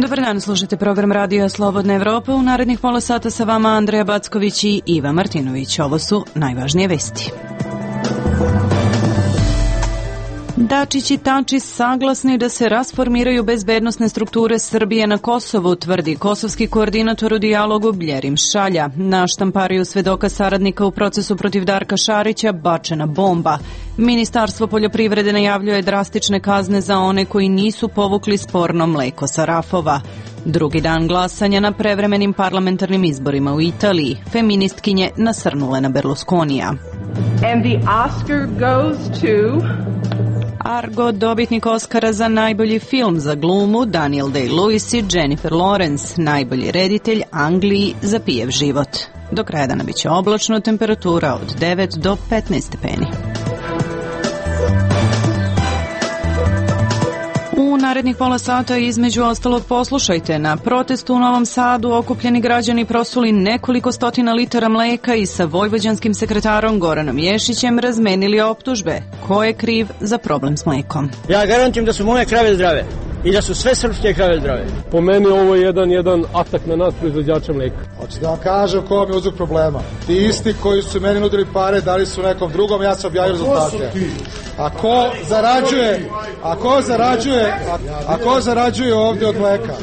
Dobar dan, slušate program Radija Slobodna Evropa. U narednih pola sata sa vama Andreja Backović i Iva Martinović. Ovo su najvažnije vesti. Dačić i Tači saglasni da se rasformiraju bezbednosne strukture Srbije na Kosovu, tvrdi kosovski koordinator u dijalogu Bljerim Šalja. Na štampariju svedoka saradnika u procesu protiv Darka Šarića bačena bomba. Ministarstvo poljoprivrede najavljuje drastične kazne za one koji nisu povukli sporno mleko sa rafova. Drugi dan glasanja na prevremenim parlamentarnim izborima u Italiji. Feministkinje nasrnule na Berlusconija. And the Oscar goes to... Argo, dobitnik Oscara za najbolji film za glumu, Daniel Day-Lewis i Jennifer Lawrence, najbolji reditelj Angliji za pijev život. Do kraja dana biće oblačno, temperatura od 9 do 15 stepeni. U narednih pola sata između ostalog poslušajte. Na protestu u Novom Sadu okupljeni građani prosuli nekoliko stotina litara mleka i sa vojvođanskim sekretarom Goranom Ješićem razmenili optužbe. Ko je kriv za problem s mlekom? Ja garantujem da su moje krave zdrave i da su sve srpske krave zdrave. Po meni ovo je jedan atak na nas proizvođača mleka. Hoćete da vam kažem ko vam je uzrok problema. Ti isti koji su meni nudili pare, dali su nekom drugom, ja sam objavio rezultate. A ko zarađuje ovdje od mleka?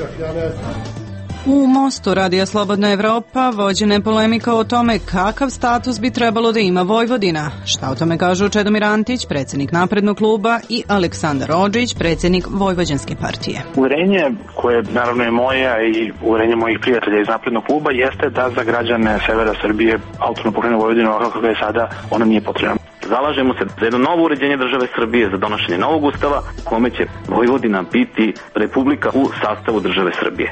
U Mostu Radija Slobodna Evropa vođena je polemika o tome kakav status bi trebalo da ima Vojvodina. Šta o tome kažu Čedomir Antić, predsjednik Naprednog kluba, i Aleksandar Odžić, predsjednik Vojvođanske partije. Uverenje koje naravno je moje i uverenje mojih prijatelja iz Naprednog kluba jeste da za građane severa Srbije autonomna pokrajina Vojvodina ovako kako je sada, ona nije potrebna. Zalažemo se za jedno novo uređenje države Srbije, za donošenje novog ustava u kome će Vojvodina biti republika u sastavu države Srbije.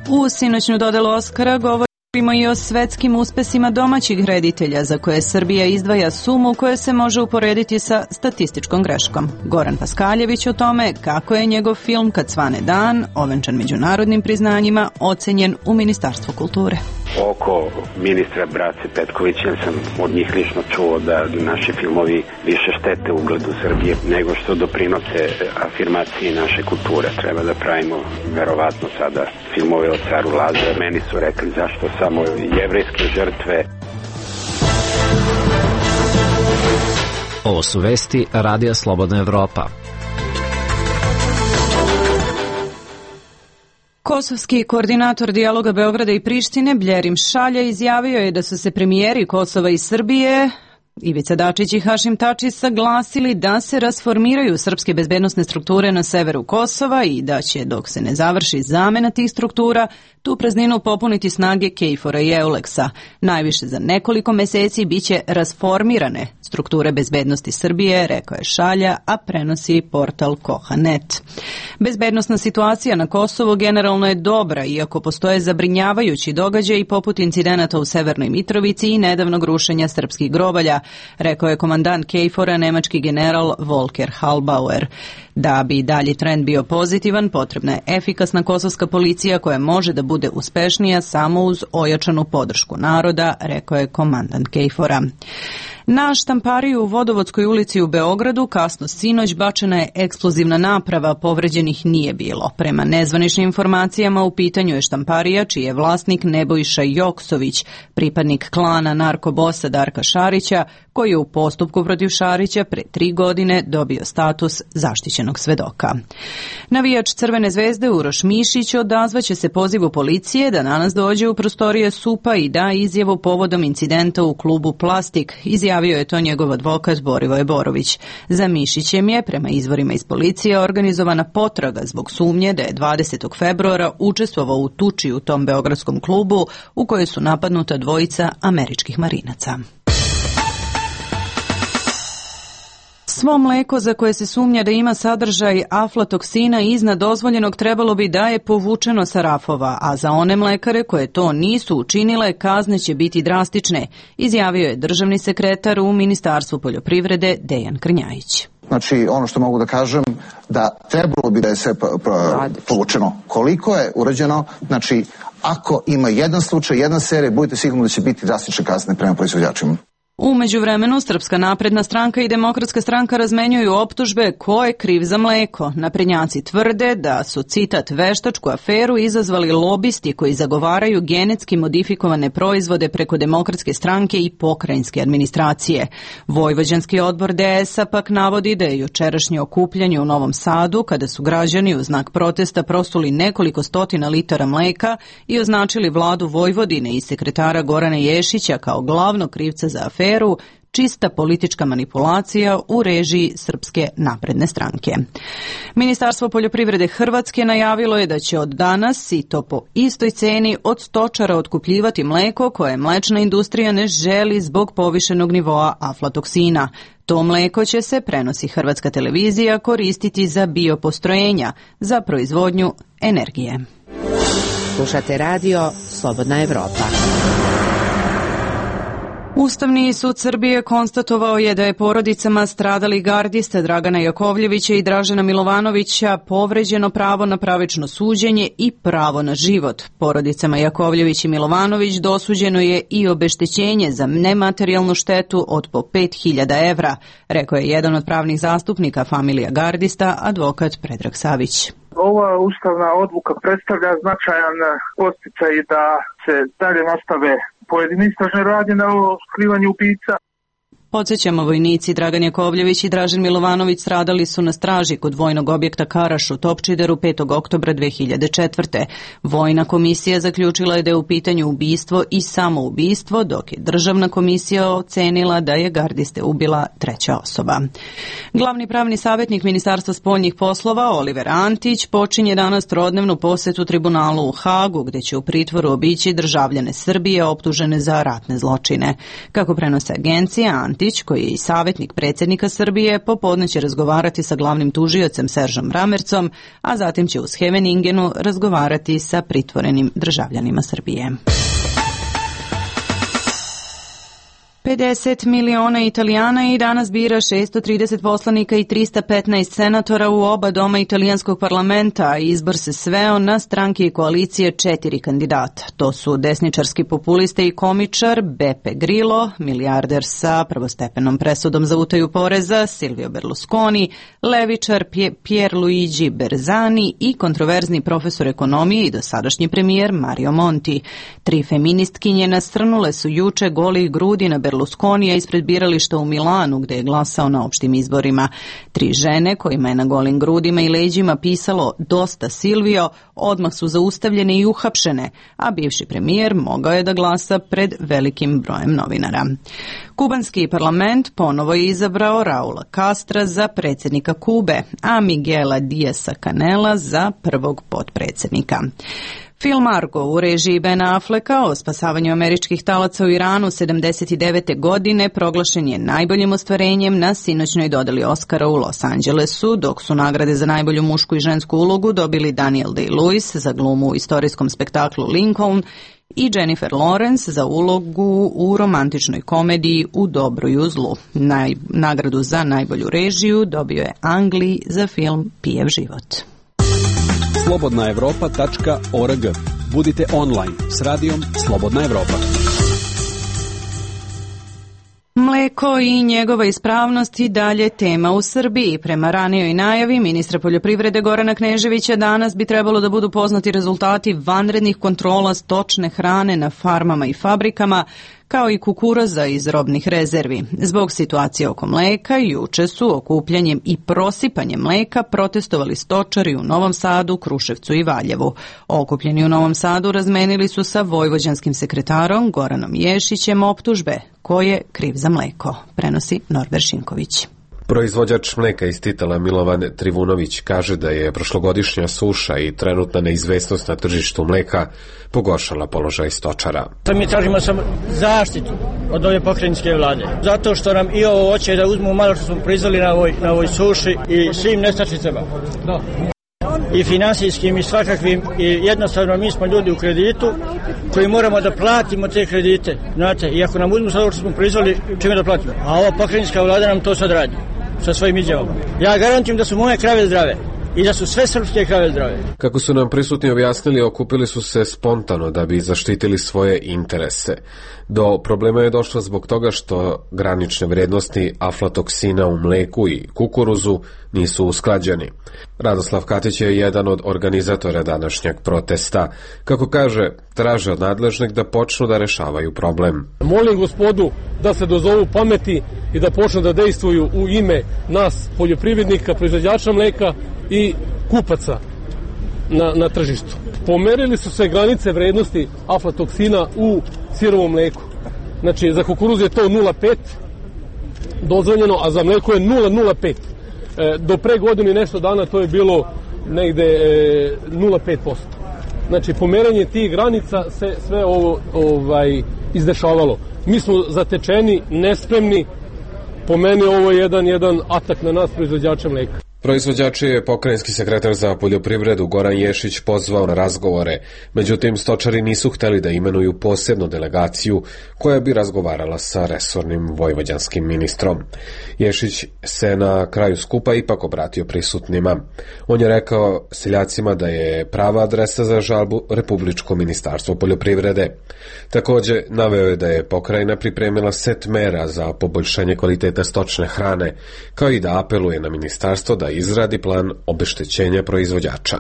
U sinoćnu dodelu Oskara govorimo i o svetskim uspesima domaćih reditelja za koje Srbija izdvaja sumu koja se može uporediti sa statističkom greškom. Goran Paskaljević o tome kako je njegov film Kad svane dan, ovenčan međunarodnim priznanjima, ocenjen u Ministarstvu kulture. Oko ministra Brace Petkovića sam od njih lično čuo da naši filmovi više štete ugledu Srbije nego što doprinose afirmaciji naše kulture. Treba da pravimo verovatno sada filmove o caru Lazaru. Meni su rekli zašto samo jevrejske žrtve. Ovo su vesti Radija Slobodna Evropa. Kosovski koordinator dijaloga Beograda i Prištine Bljerim Šalja izjavio je da su se premijeri Kosova i Srbije Ivica Dačić i Hašim Tači saglasili da se rasformiraju srpske bezbednosne strukture na severu Kosova i da će, dok se ne završi zamena tih struktura, tu prazninu popuniti snage KFOR-a i EULEX-a. Najviše za nekoliko meseci biće rasformirane strukture bezbednosti Srbije, rekao je Šalja, a prenosi portal Koha.net. Bezbednosna situacija na Kosovu generalno je dobra, iako postoje zabrinjavajući događaji poput incidenata u Severnoj Mitrovici i nedavnog rušenja srpskih grobalja, rekao je komandant KFOR-a nemački general Volker Halbauer. Da bi dalji trend bio pozitivan, potrebna je efikasna kosovska policija koja može da bude uspešnija samo uz ojačanu podršku naroda, rekao je komandant KFOR-a. Na štampariju u Vodovodskoj ulici u Beogradu kasno sinoć bačena je eksplozivna naprava, povređenih nije bilo. Prema nezvaničnim informacijama u pitanju je štamparija čiji je vlasnik Nebojša Joksović, pripadnik klana narkobosa Darka Šarića, koji je u postupku protiv Šarića pre 3 godine dobio status zaštićenog svedoka. Navijač Crvene zvezde Uroš Mišić odazvaće se pozivu policije da danas dođe u prostorije SUP-a i da izjavu povodom incidenta u klubu Plastik. Izjavio je to njegov advokat Borivoje Borović. Za Mišićem je, prema izvorima iz policije, organizovana potraga zbog sumnje da je 20. februara učestvovao u tuči u tom beogradskom klubu u kojoj su napadnuta dvojica američkih marinaca. Svo mleko za koje se sumnja da ima sadržaj aflatoksina iznad dozvoljenog trebalo bi da je povučeno sa rafova, a za one mlekare koje to nisu učinile kazne će biti drastične, izjavio je državni sekretar u Ministarstvu poljoprivrede Dejan Krnjajić. Znači, ono što mogu da kažem, da trebalo bi da je sve povučeno. Koliko je urađeno, znači, ako ima jedan slučaj, jedna serija, budite sigurni da će biti drastične kazne prema proizvođačima. U međuvremenu, Srpska napredna stranka i Demokratska stranka razmenjuju optužbe ko je kriv za mleko. Naprednjaci tvrde da su, citat, veštačku aferu izazvali lobisti koji zagovaraju genetski modifikovane proizvode preko Demokratske stranke i pokrajinske administracije. Vojvođanski odbor DS-a pak navodi da je jučerašnje okupljanje u Novom Sadu, kada su građani u znak protesta prosuli nekoliko stotina litara mleka i označili vladu Vojvodine i sekretara Gorana Ješića kao glavnog krivca za aferu, čista politička manipulacija u režiji Srpske napredne stranke. Ministarstvo poljoprivrede Hrvatske najavilo je da će od danas, i to po istoj ceni, od stočara otkupljivati mleko koje mlečna industrija ne želi zbog povišenog nivoa aflatoksina. To mleko će se, prenosi Hrvatska televizija, koristiti za biopostrojenja, za proizvodnju energije. Slušate radio Slobodna Evropa. Ustavni sud Srbije konstatovao je da je porodicama stradalih gardista Dragana Jakovljevića i Dražena Milovanovića povređeno pravo na pravično suđenje i pravo na život. Porodicama Jakovljević i Milovanović dosuđeno je i obeštećenje za nematerijalnu štetu od po 5.000 evra, rekao je jedan od pravnih zastupnika familija gardista, advokat Predrag Savić. Ova ustavna odluka predstavlja značajan podsticaj da se dalje nastave pojedine istražne radnje na otkrivanju ubica. Podsjećamo, vojnici Dragan Jakovljević i Dražen Milovanović stradali su na straži kod vojnog objekta Karaš u Topčideru 5. oktobra 2004. Vojna komisija zaključila je da je u pitanju ubistvo i samoubistvo, dok je državna komisija ocenila da je gardiste ubila treća osoba. Glavni pravni savjetnik Ministarstva spoljnih poslova Oliver Antić počinje danas trodnevnu posetu tribunalu u Hagu, gde će u pritvoru obići državljane Srbije optužene za ratne zločine. Kako prenose agencija, Antić, koji je i savjetnik predsjednika Srbije, popodne će razgovarati sa glavnim tužiocem Seržom Ramercom, a zatim će u Scheveningenu razgovarati sa pritvorenim državljanima Srbije. 50 miliona Italijana i danas bira 630 poslanika i 315 senatora u oba doma italijanskog parlamenta, a izbor se sveo na stranke i koalicije 4 kandidata. To su desničarski populiste i komičar Beppe Grillo, milijarder sa prvostepenom presudom za utaju poreza Silvio Berlusconi, levičar Pierluigi Bersani i kontroverzni profesor ekonomije i dosadašnji premijer Mario Monti. 3 feministkinje nasrnule su juče golih grudi na Berlusconija ispred birališta u Milanu, gde je glasao na opštim izborima. 3 žene kojima je na golim grudima i leđima pisalo "Dosta Silvio" odmah su zaustavljene i uhapšene, a bivši premijer mogao je da glasa pred velikim brojem novinara. Kubanski parlament ponovo je izabrao Raula Castra za predsjednika Kube, a Miguela Diasa Canela za prvog potpredsjednika. Film Argo u režiji Ben Afflecka o spasavanju američkih talaca u Iranu 79. godine proglašen je najboljim ostvarenjem na sinoćnoj dodeli Oscara u Los Angelesu, dok su nagrade za najbolju mušku i žensku ulogu dobili Daniel Day-Lewis za glumu u istorijskom spektaklu Lincoln i Jennifer Lawrence za ulogu u romantičnoj komediji U dobru i u zlu. Nagradu za najbolju režiju dobio je Ang Lee za film Pijev život. slobodnaevropa.org. Budite online s radijom Slobodna Evropa. Mleko i njegova ispravnost i dalje tema u Srbiji. Prema ranijoj najavi ministra poljoprivrede Gorana Kneževića danas bi trebalo da budu poznati rezultati vanrednih kontrola stočne hrane na farmama i fabrikama, kao i kukuruza iz robnih rezervi. Zbog situacije oko mleka, juče su okupljanjem i prosipanjem mleka protestovali stočari u Novom Sadu, Kruševcu i Valjevu. Okupljeni u Novom Sadu razmenili su sa vojvođanskim sekretarom Goranom Ješićem optužbe ko je kriv za mleko, prenosi Norbert Šinković. Proizvođač mleka iz Titela Milovan Trivunović kaže da je prošlogodišnja suša i trenutna neizvesnost na tržištu mleka pogoršala položaj stočara. Mi tražimo samo zaštitu od ove pokrajinske vlade, zato što nam i ovo hoće da uzmu malo što smo proizveli na ovoj suši i svim nestačicama. I finansijskim i svakakvim, i jednostavno mi smo ljudi u kreditu koji moramo da platimo te kredite, znate, i ako nam uzmu sad ovo što smo proizveli, čime da platimo? A ova pokrajinska vlada nam to sad radi sa svojim izjavama. Ja garantujem da su moje krave zdrave, i da su sve srpske krave zdrave. Kako su nam prisutni objasnili, okupili su se spontano da bi zaštitili svoje interese. Do problema je došlo zbog toga što granične vrednosti aflatoksina u mleku i kukuruzu nisu usklađeni. Radoslav Katić je jedan od organizatora današnjeg protesta. Kako kaže, traže od nadležnih da počnu da rešavaju problem. Molim gospodu da se dozovu pameti i da počnu da dejstvuju u ime nas, poljoprivrednika, proizvođača mleka i kupaca na tržištu. Pomerili su se granice vrednosti aflatoksina u sirovom mleku. Znači, za kukuruz je to 0,5 dozvoljeno, a za mleko je 0,05. Do pre godinu i nešto dana to je bilo negde 0,5%. Znači, pomeranje tih granica se sve ovo izdešavalo. Mi smo zatečeni, nespremni. Po meni ovo je jedan atak na nas, proizvođače mleka. Proizvođači je pokrajinski sekretar za poljoprivredu Goran Ješić pozvao na razgovore, međutim stočari nisu hteli da imenuju posebnu delegaciju koja bi razgovarala sa resornim vojvođanskim ministrom. Ješić se na kraju skupa ipak obratio prisutnima. On je rekao seljacima da je prava adresa za žalbu Republičko ministarstvo poljoprivrede. Takođe, naveo je da je pokrajina pripremila set mera za poboljšanje kvaliteta stočne hrane, kao i da apeluje na ministarstvo da izradi plan obeštećenja proizvođača.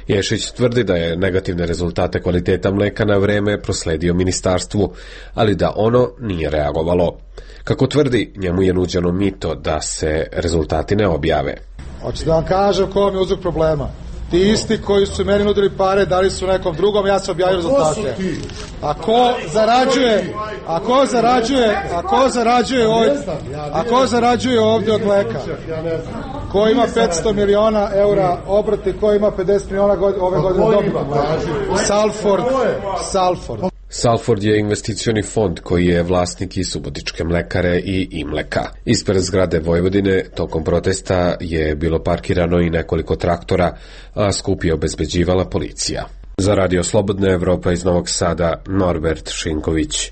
Ješić tvrdi da je negativne rezultate kvaliteta mleka na vreme prosledio ministarstvu, ali da ono nije reagovalo. Kako tvrdi, njemu je nuđeno mito da se rezultati ne objave. Hoću da vam kažem ko vam je uzrok problema. Ti isti koji su meni nudili pare, dali su nekom drugom, ja sam objavio rezultate. A ko zarađuje ovdje od mleka? Ko ima 500 miliona eura obrati, ko ima 50 miliona ove godine dobiti? Salford. Salford je investicioni fond koji je vlasnik i Subotičke mlekare i Imleka. Ispred zgrade Vojvodine tokom protesta je bilo parkirano i nekoliko traktora, a skup je obezbeđivala policija. Za Radio Slobodna Evropa iz Novog Sada, Norbert Šinković.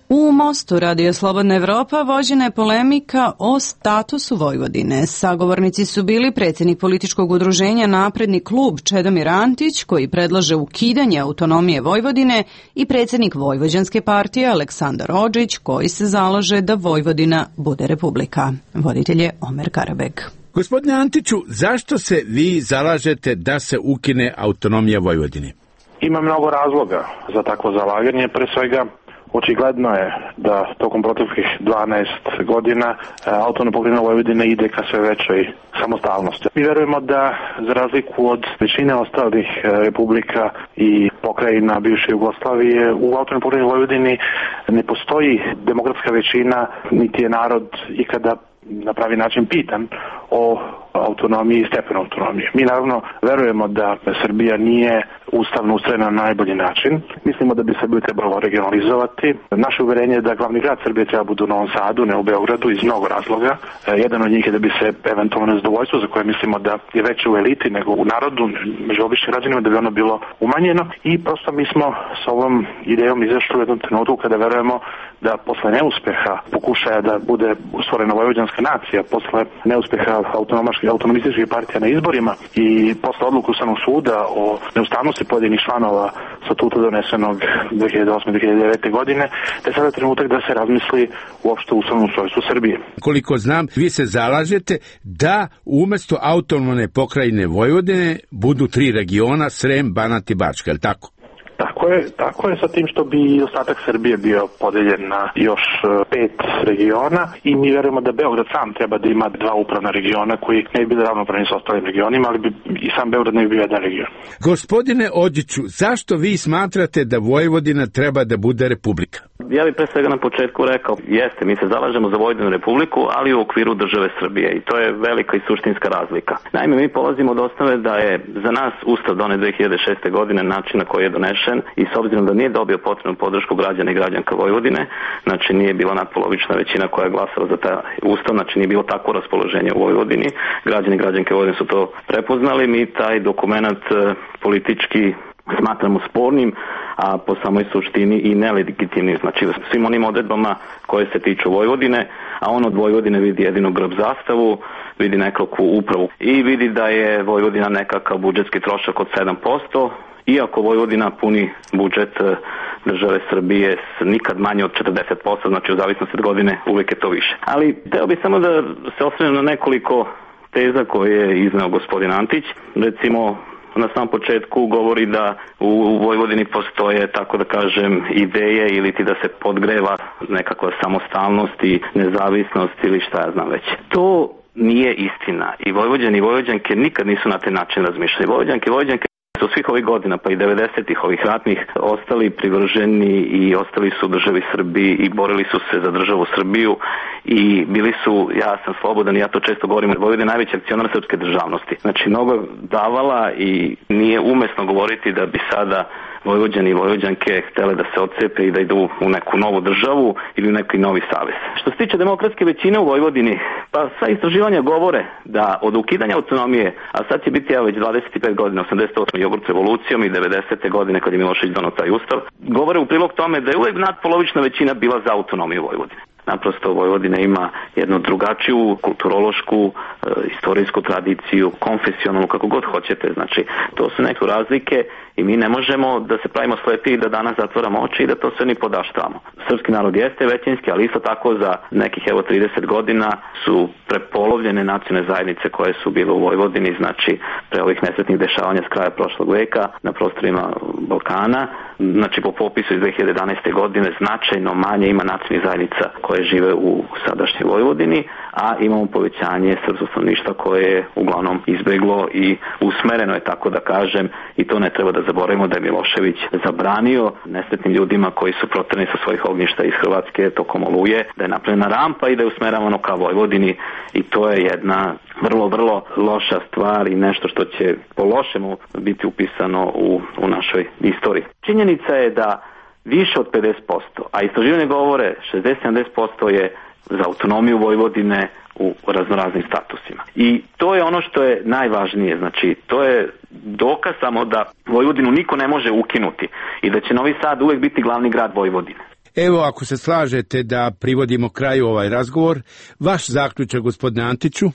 U Mostu Radio Slobodna Evropa vođena je polemika o statusu Vojvodine. Sagovornici su bili predsjednik političkog udruženja Napredni klub Čedomir Antić, koji predlaže ukidanje autonomije Vojvodine, i predsjednik Vojvođanske partije Aleksandar Odžić, koji se zalaže da Vojvodina bude republika. Voditelj je Omer Karabeg. Gospodine Antiću, zašto se vi zalažete da se ukine autonomija Vojvodine? Ima mnogo razloga za takvo zalaganje, pre svega očigledno je da tokom proteklih 12 godina autonomna pokrajina Vojvodine ide ka sve većoj samostalnosti. Mi verujemo da, za razliku od većine ostalih republika i pokrajina bivše Jugoslavije, u autonomnoj pokrajini Vojvodini ne postoji demokratska većina, niti je narod ikada na pravi način pitan o autonomiji i stepenu autonomije. Mi naravno verujemo da Srbija nije ustavno ustrojena na najbolji način. Mislimo da bi Srbiju trebalo regionalizovati. Naše uverenje je da glavni grad Srbije treba bude u Novom Sadu, ne u Beogradu, iz mnogo razloga. Jedan od njih je da bi se eventualno nezadovoljstvo, za koje mislimo da je veće u eliti nego u narodu, među običnim građanima, da bi ono bilo umanjeno. I prosto mi smo s ovom idejom izašli u jednom trenutku kada verujemo da posle neuspeha pokušaja da bude stvorena vojvođanska nacija, posle neuspeha autonomističkih partija na izborima i posle odluku Ustavnog suda o neustavnosti pojedinih članova statuta donesenog 2008-2009. godine, da je sada trenutak da se razmisli uopšte o ustavnom ustrojstvu Srbije. Koliko znam, vi se zalažete da umesto autonomne pokrajine Vojvodine budu 3 regiona, Srem, Banat i Bačka, je li tako? Tako je sa tim što bi ostatak Srbije bio podeljen na još 5 regiona i mi verujemo da Beograd sam treba da ima 2 upravna regiona koji ne bi bili ravnopravni sa ostalim regionima, ali bi i sam Beograd ne bi bio jedan region. Gospodine Odžiću, zašto vi smatrate da Vojvodina treba da bude republika? Ja bih pre svega na početku rekao, jeste, mi se zalažemo za Vojvodinu republiku, ali u okviru države Srbije i to je velika i suštinska razlika. Naime, mi polazimo od osnove da je za nas Ustav donet 2006. godine, način na koji je donešen, i s obzirom da nije dobio potrebnu podršku građana i građanka Vojvodine, znači nije bila natpolovična većina koja je glasala za taj Ustav, znači nije bilo takvo raspoloženje u Vojvodini, građani i građanke Vojvodine su to prepoznali, mi taj dokument politički smatramo spornim, a po samoj suštini i nelegitimni, znači svim onim odredbama koje se tiču Vojvodine, a on od Vojvodine vidi jedinu grb zastavu, vidi nekakvu upravu i vidi da je Vojvodina nekakav budžetski trošak od 7%, iako Vojvodina puni budžet države Srbije nikad manje od 40%, znači u zavisnosti od godine uvijek je to više. Ali teo bih samo da se osvrnem na nekoliko teza koje je izneo gospodin Antić. Recimo, na samom početku govori da u Vojvodini postoje, tako da kažem, ideje ili ti da se podgreva nekakva samostalnost i nezavisnost ili šta ja znam već. To nije istina i Vojvođani i Vojvođanke nikad nisu na taj način razmišljali. Vojvođanke i Vojvođanke su svih ovih godina, pa i 90-ih ovih ratnih, ostali privrženi i ostali su u državi Srbiji i borili su se za državu Srbiju i bili su, ja sam slobodan i ja to često govorim, Vojvodina je najveći akcionar srpske državnosti. Znači, mnogo davala i nije umesno govoriti da bi sada Vojvođani i Vojvođanke htele da se odcepe i da idu u neku novu državu ili u neki novi savez. Što se tiče demokratske većine u Vojvodini, pa sva istraživanja govore da od ukidanja autonomije, a sad će biti već 25 godina, 88. jogurt revolucijom i 90. godine kad je Milošević donao taj ustav, govore u prilog tome da je uvek nadpolovična većina bila za autonomiju Vojvodine. Naprosto Vojvodina ima jednu drugačiju kulturološku, istorijsku tradiciju, konfesionalnu, kako god hoćete. Znači, to su neke razlike i mi ne možemo da se pravimo slepi i da danas zatvoramo oči i da to sve ni podaštavamo. Srpski narod jeste većinski, ali isto tako za nekih 30 godina su prepolovljene nacionalne zajednice koje su bile u Vojvodini, znači pre ovih nesretnih dešavanja s kraja prošlog veka na prostorima Balkana. Znači, po popisu iz 2011. godine značajno manje ima nacionalnih zajednica koje žive u sadašnjoj Vojvodini, a imamo povećanje srpskog stanovništva koje je uglavnom izbeglo i usmereno je, tako da kažem, i to ne treba da zaboravimo da je Milošević zabranio nesretnim ljudima koji su proterani sa svojih ognjišta iz Hrvatske tokom Oluje, da je napravljena rampa i da je usmeravano ka Vojvodini i to je jedna vrlo, vrlo loša stvar i nešto što će po lošemu biti upisano u našoj istoriji. Činjenica je da više od 50%, a istraživanje govore 60-70% je za autonomiju Vojvodine u raznoraznim statusima. I to je ono što je najvažnije, znači to je dokaz samo da Vojvodinu niko ne može ukinuti i da će Novi Sad uvek biti glavni grad Vojvodine. Evo, ako se slažete da privodimo kraju ovaj razgovor, vaš zaključak, gospodine Antiću?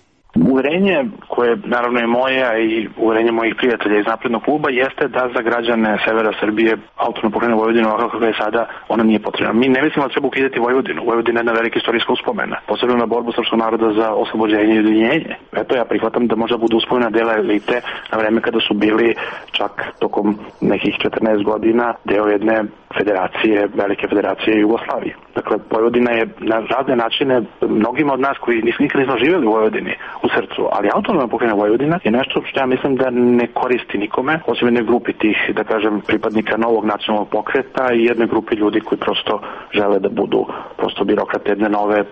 Uverenje koje naravno je moje i uverenje mojih prijatelja iz Naprednog kluba jeste da za građane severa Srbije autonomna pokrajina Vojvodina ovako kako je sada, ona nije potrebna. Mi ne mislimo da treba ukidati Vojvodinu. Vojvodina je jedna velika istorijska uspomena, posebno na borbu srpskog naroda za oslobođenje i ujedinjenje. Eto, ja prihvatam da možda budu uspomena dela elite na vreme kada su bili čak tokom nekih 14 godina deo jedne federacije, velike federacije Jugoslavije. Dakle, Vojvodina je na razne načine mnogima od nas koji nikad nismo živjeli u Vojvodini u srcu, ali autonomna pokrajina Vojvodina je nešto što ja mislim da ne koristi nikome, osim jednoj grupi tih, da kažem, pripadnika novog nacionalnog pokreta i jednoj grupi ljudi koji prosto žele da budu prosto birokrate jedne nove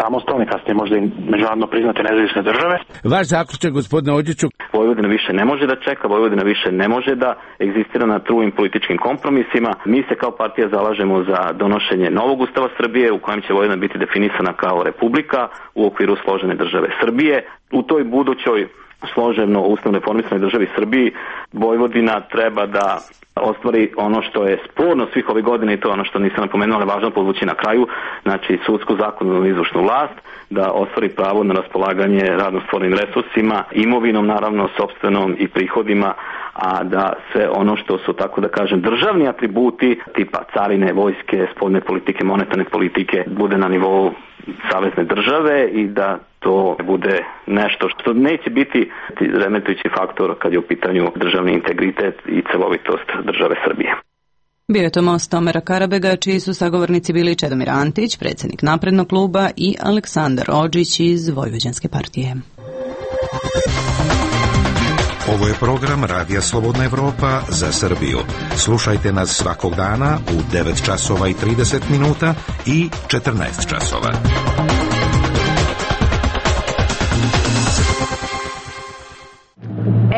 samostalne, kasnije možda i međunarodno priznate nezavisne države. Vaš zaključak, gospodine Ođiću? Vojvodina više ne može da čeka, Vojvodina više ne može da egzistira na trulim političkim kompromisima. Mi se kao partija zalažemo za donošenje novog ustava Srbije u kojem će Vojvodina biti definisana kao republika u okviru složene države Srbije. U toj budućoj složeno ustavno reformisanoj državi Srbiji Vojvodina treba da ostvari ono što je sporno svih ovih godina i to ono što nisam napomenuo, ali važno podvući na kraju, znači sudsku, zakonodavnu i izvršnu vlast, da ostvari pravo na raspolaganje radno stvorenim resursima, imovinom naravno, sopstvenom i prihodima, a da sve ono što su, tako da kažem, državni atributi tipa carine, vojske, spoljne politike, monetarne politike bude na nivou savezne države i da to bude nešto što neće biti remetujući faktor kad je u pitanju državni integritet i celovitost države Srbije. Bio je to most Omera Karabega, čiji su sagovornici bili Čedomir Antić, predsjednik Naprednog kluba, i Aleksandar Ođić iz Vojvođanske partije. Ovo je program Radija Slobodna Evropa za Srbiju. Slušajte nas svakog dana u 9 časova i 30 minuta i 14 časova.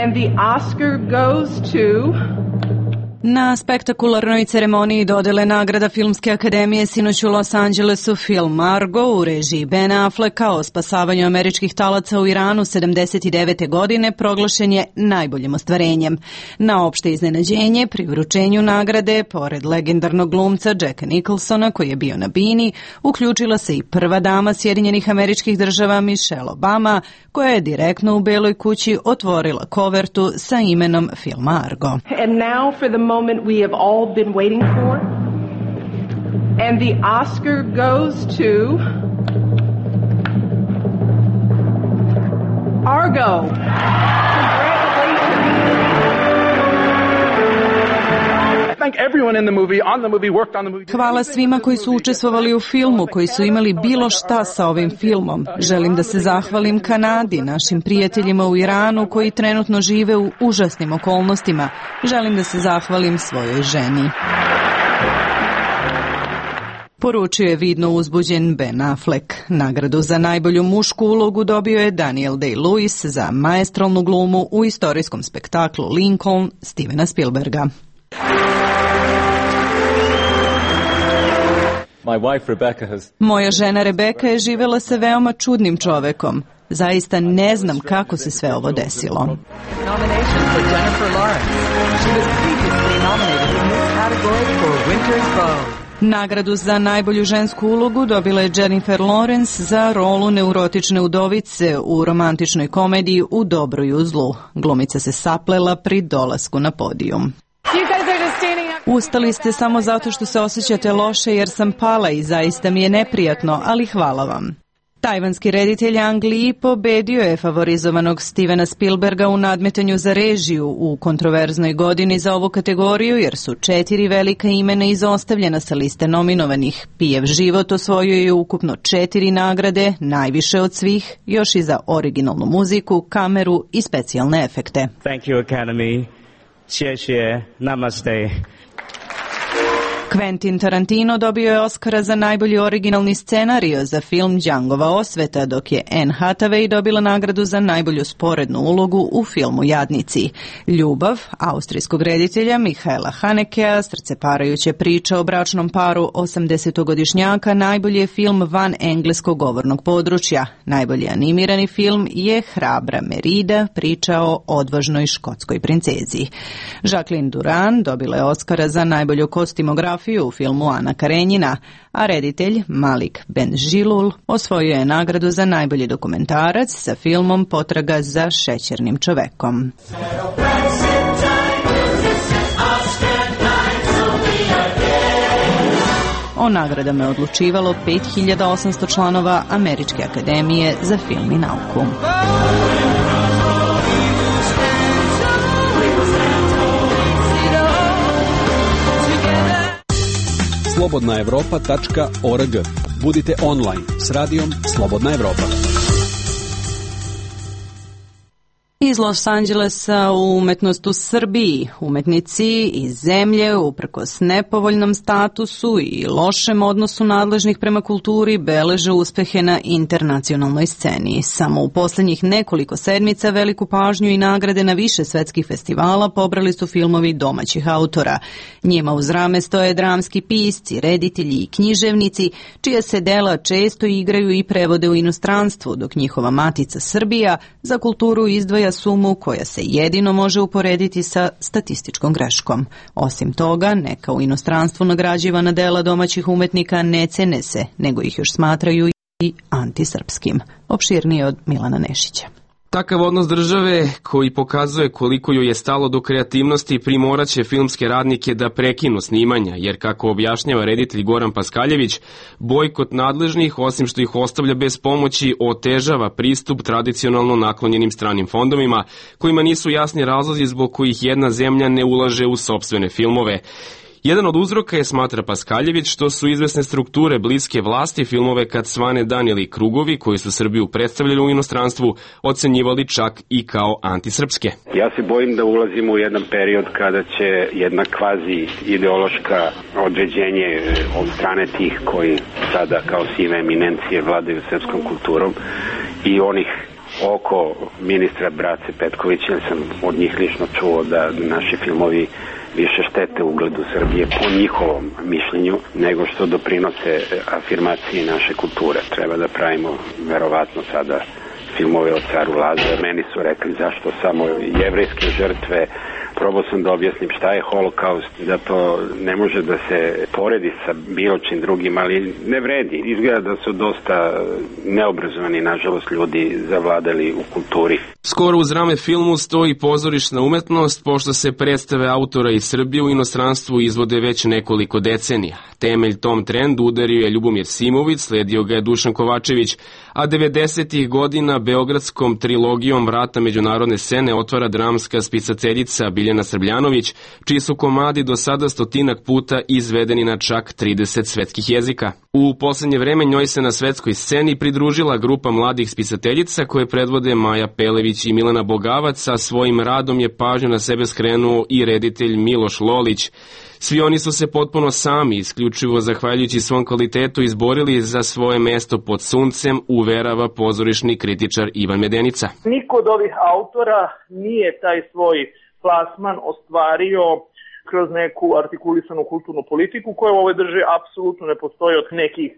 And the Oscar goes to... Na spektakularnoj ceremoniji dodele nagrada Filmske akademije sinoć u Los Angelesu film Argo u režiji Ben Afflecka o spasavanju američkih talaca u Iranu 79. godine proglašen je najboljim ostvarenjem. Na opšte iznenađenje pri vručenju nagrade, pored legendarnog glumca Jacka Nicholsona koji je bio na bini, uključila se i prva dama Sjedinjenih Američkih Država Michelle Obama, koja je direktno u Beloj kući otvorila kovertu sa imenom filma Argo. And now for the moment we have all been waiting for. And the Oscar goes to Argo. Hvala svima koji su učestvovali u filmu, koji su imali bilo šta sa ovim filmom. Želim da se zahvalim Kanadi, našim prijateljima u Iranu koji trenutno žive u užasnim okolnostima. Želim da se zahvalim svojoj ženi. Poručio je vidno uzbuđen Ben Affleck. Nagradu za najbolju mušku ulogu dobio je Daniel Day-Lewis za maestralnu glumu u istorijskom spektaklu Lincoln Stevena Spielberga. Moja žena Rebeka je živjela sa veoma čudnim čovekom. Zaista ne znam kako se sve ovo desilo. Nagradu za najbolju žensku ulogu dobila je Jennifer Lawrence za rolu neurotične udovice u romantičnoj komediji U dobru i u zlu. Glumica se saplela pri dolasku na podijum. Ustali ste samo zato što se osjećate loše jer sam pala i zaista mi je neprijatno, ali hvala vam. Tajvanski reditelj Ang Lee pobedio je favorizovanog Stevena Spielberga u nadmetanju za režiju u kontroverznoj godini za ovu kategoriju jer su 4 velika imena izostavljena sa liste nominovanih. Pijev život osvojio je ukupno 4 nagrade, najviše od svih, još i za originalnu muziku, kameru i specijalne efekte. Thank you, Academy. 谢谢, namaste. Quentin Tarantino dobio je Oscara za najbolji originalni scenario za film Djangova osveta, dok je Anne Hathaway dobila nagradu za najbolju sporednu ulogu u filmu Jadnici. Ljubav austrijskog reditelja Michaela Hanekea, srceparajuća priča o bračnom paru 80-godišnjaka, najbolji je film van engleskog govornog područja. Najbolji animirani film je Hrabra Merida, priča o odvažnoj škotskoj princezi. Jacqueline Duran dobila je Oscara za najbolju kostimografiju u filmu Ana Karenjina, a reditelj Malik Benjilul osvojio je nagradu za najbolji dokumentarac sa filmom Potraga za šećernim čovekom. O nagradama je odlučivalo 5800 članova Američke akademije za film i nauku. slobodnaevropa.org. Budite online s radijom Slobodna Evropa. Iz Los Angelesa u umetnost u Srbiji. Umetnici iz zemlje, uprkos nepovoljnom statusu i lošem odnosu nadležnih prema kulturi, beleže uspehe na internacionalnoj sceni. Samo u posljednjih nekoliko sedmica veliku pažnju i nagrade na više svetskih festivala pobrali su filmovi domaćih autora. Njima uz rame stoje dramski pisci, reditelji i književnici, čija se dela često igraju i prevode u inostranstvu, dok njihova matica Srbija za kulturu izdvaja sumu koja se jedino može uporediti sa statističkom greškom. Osim toga, neka u inostranstvu nagrađivana dela domaćih umetnika ne cene se, nego ih još smatraju i antisrpskim. Opširnije od Milana Nešića. Takav odnos države koji pokazuje koliko joj je stalo do kreativnosti primoraće filmske radnike da prekinu snimanja, jer kako objašnjava reditelj Goran Paskaljević, bojkot nadležnih, osim što ih ostavlja bez pomoći, otežava pristup tradicionalno naklonjenim stranim fondovima, kojima nisu jasni razlozi zbog kojih jedna zemlja ne ulaže u sopstvene filmove. Jedan od uzroka je, smatra Paskaljević, što su izvesne strukture bliske vlasti filmove Kad svane dan ili Krugovi, koji su Srbiju predstavljali u inostranstvu, ocenjivali čak i kao antisrpske. Ja se bojim da ulazimo u jedan period kada će jedna kvazi ideološka određenje od strane tih koji sada kao sive eminencije vladaju srpskom kulturom i onih oko ministra Brace Petkovića, sam od njih lično čuo da naši filmovi više štete ugledu Srbije po njihovom mišljenju nego što doprinose afirmaciji naše kulture. Treba da pravimo verovatno sada filmove o caru Lazaru. Meni su rekli zašto samo jevrejske žrtve. Probao sam da objasnim šta je holokaust, da to ne može da se poredi sa bilo čim drugim, ali ne vredi. Izgleda da su dosta neobrazovani, nažalost, ljudi zavladali u kulturi. Skoro uz rame filmu stoji pozorišna umetnost, pošto se predstave autora iz Srbije u inostranstvu izvode već nekoliko decenija. Temelj tom trendu udario je Ljubomir Simović, sledio ga je Dušan Kovačević, a 90. godina beogradskom trilogijom Vrata međunarodne scene otvara dramska spisateljica Biljana Srbljanović, čiji su komadi do sada 100 puta izvedeni na čak 30 svetskih jezika. U poslednje vreme njoj se na svetskoj sceni pridružila grupa mladih spisateljica koje predvode Maja Pelević i Milena Bogavac, a svojim radom je pažnju na sebe skrenuo i reditelj Miloš Lolić. Svi oni su se potpuno sami, isključivo zahvaljujući svom kvalitetu, izborili za svoje mesto pod suncem, uverava pozorišni kritičar Ivan Medenica. Niko od ovih autora nije taj svoj plasman ostvario kroz neku artikulisanu kulturnu politiku koja u ovoj državi apsolutno ne postoji od nekih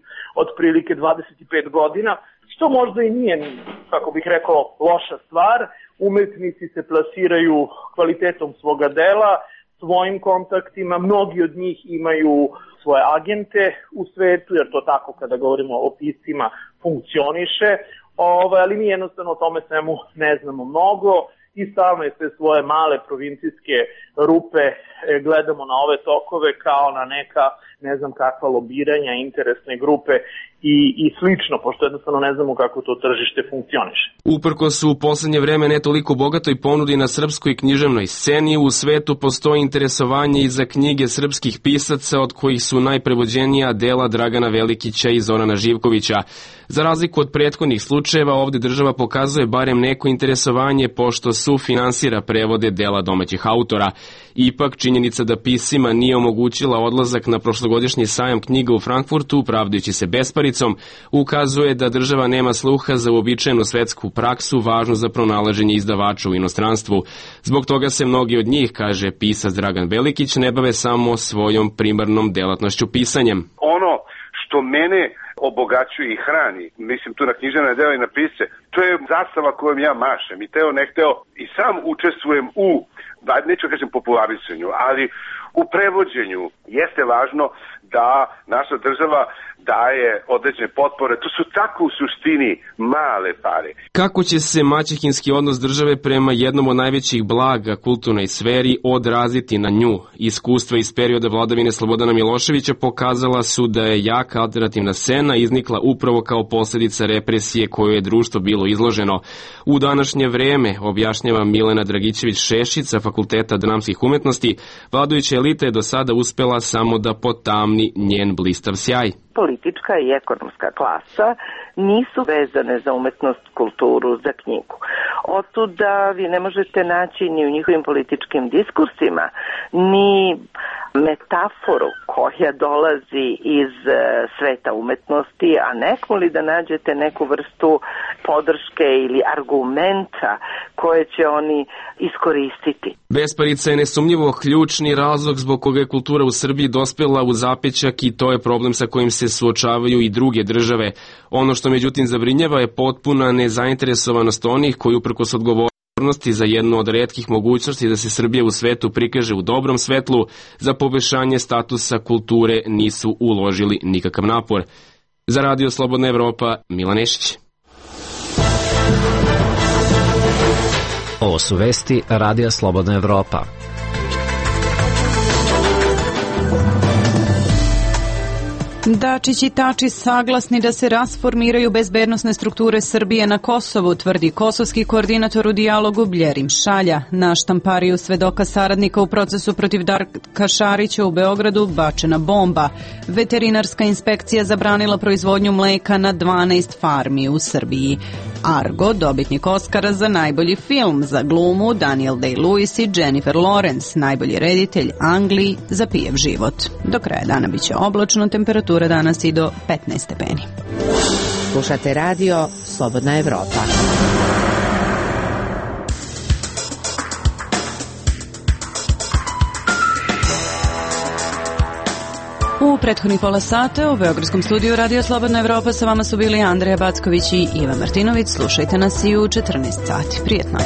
otprilike 25 godina, što možda i nije, kako bih rekao, loša stvar. Umetnici se plasiraju kvalitetom svoga dela, svojim kontaktima, mnogi od njih imaju svoje agente u svetu, jer to tako kada govorimo o piscima funkcioniše, ali mi jednostavno o tome svemu ne znamo mnogo i stalno je sve svoje male provincijske rupe gledamo na ove tokove kao na neka, ne znam kakva lobiranja, interesne grupe i slično, pošto jednostavno ne znamo kako to tržište funkcioniše. Uprkos u poslednje vreme ne toliko bogatoj ponudi na srpskoj književnoj sceni, u svetu postoji interesovanje i za knjige srpskih pisaca, od kojih su najprevođenija dela Dragana Velikića i Zorana Živkovića. Za razliku od prethodnih slučajeva, ovde država pokazuje barem neko interesovanje, pošto sufinansira prevode dela domaćih autora. Ipak, činjenica da piscima nije omogućila odlazak na prošlogodišnji sajam knjiga u Frankfurtu, pravdajući se besparicom, ukazuje da država nema sluha za uobičajenu svetsku praksu važnu za pronalaženje izdavača u inostranstvu. Zbog toga se mnogi od njih, kaže pisac Dragan Velikić, ne bave samo svojom primarnom delatnošću pisanjem. Ono što mene obogaćuje i hrani, mislim tu na književne dela i na pisce, to je zastava kojom ja mašem i teo ne hteo i sam učestvujem u, neću kažem popularisanju, ali u prevođenju. Jeste važno da naša država daje određene potpore, to su tako u suštini male pare. Kako će se maćehinski odnos države prema jednom od najvećih blaga kulturnoj sferi odraziti na nju? Iskustva iz perioda vladavine Slobodana Miloševića pokazala su da je jaka alternativna scena iznikla upravo kao posljedica represije koju je društvo bilo izloženo. U današnje vreme, objašnjava Milena Dragićević-Šešić sa Fakulteta dramskih umetnosti, vladajuća elita je do sada uspela samo da potamni njen blistav sjaj. Politička i ekonomska klasa nisu vezane za umetnost, kulturu, za knjigu. Otud da vi ne možete naći ni u njihovim političkim diskursima, ni metaforu koja dolazi iz sveta umetnosti, a nekoli da nađete neku vrstu podrške ili argumenta koje će oni iskoristiti. Besparica je nesumnjivo ključni razlog zbog koga je kultura u Srbiji dospela u zapećak i to je problem sa kojim se suočavaju i druge države. Ono što međutim zabrinjava je potpuna nezainteresovanost onih koji uprkos odgovornosti za jednu od retkih mogućnosti da se Srbija u svetu prikaže u dobrom svetlu, za poboljšanje statusa kulture nisu uložili nikakav napor. Za Radio Slobodna Evropa, Milan Nešić. Ovo su vesti Radija Slobodna Evropa. Dačić i Tači saglasni da se rasformiraju bezbednosne strukture Srbije na Kosovu, tvrdi kosovski koordinator u dijalogu Bljerim Šalja. Na štampariju svedoka saradnika u procesu protiv Darka Šarića u Beogradu bačena bomba. Veterinarska inspekcija zabranila proizvodnju mleka na 12 farmi u Srbiji. Argo, dobitnik Oskara za najbolji film, za glumu Daniel Day-Lewis i Jennifer Lawrence, najbolji reditelj Angliji za pijev život. Do kraja dana biće oblačno, temperatura danas i do 15 stepeni. Slušate radio Slobodna Evropa. prethodnih pola sata. U Beogradskom studiju Radio Slobodna Evropa sa vama su bili Andreja Backović i Iva Martinović. Slušajte nas i u 14 sati. Prijetno.